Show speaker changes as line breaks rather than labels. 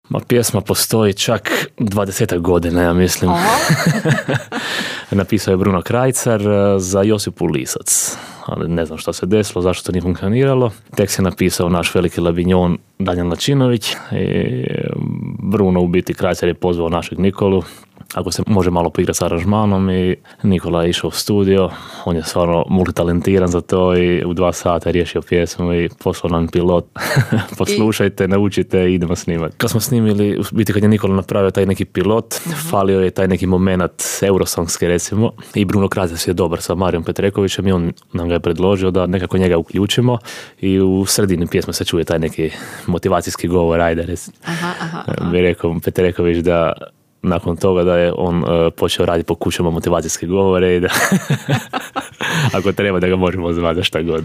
Ma pjesma postoji čak 20 godina, ja mislim. Napisao je Bruno Krajcar za Josipu Lisac. Ali ne znam što se desilo, zašto to nije funkcioniralo. Tekst je napisao naš veliki labinjon Danijel Načinović. I Bruno u biti Krajcar je pozvao našeg Nikolu ako se može malo poigrati s aranžmanom i Nikola je išao u studio. On je stvarno multitalentiran za to i u 2 sata je riješio pjesmu i poslao nam pilot. Poslušajte, naučite i idemo snimati. Kad smo snimili, u biti kad je Nikola napravio taj neki pilot, falio je taj neki moment eurosongske recimo i Bruno Krajcar je dobar sa Marijom Petrekovićem i on nam ga je predložio da nekako njega uključimo i u sredini pjesme se čuje taj neki motivacijski govor, ajde recimo. Bi rekao Petreković da nakon toga da je on počeo raditi po kućama motivacijske govore i da ako treba da ga možemo zvati šta god.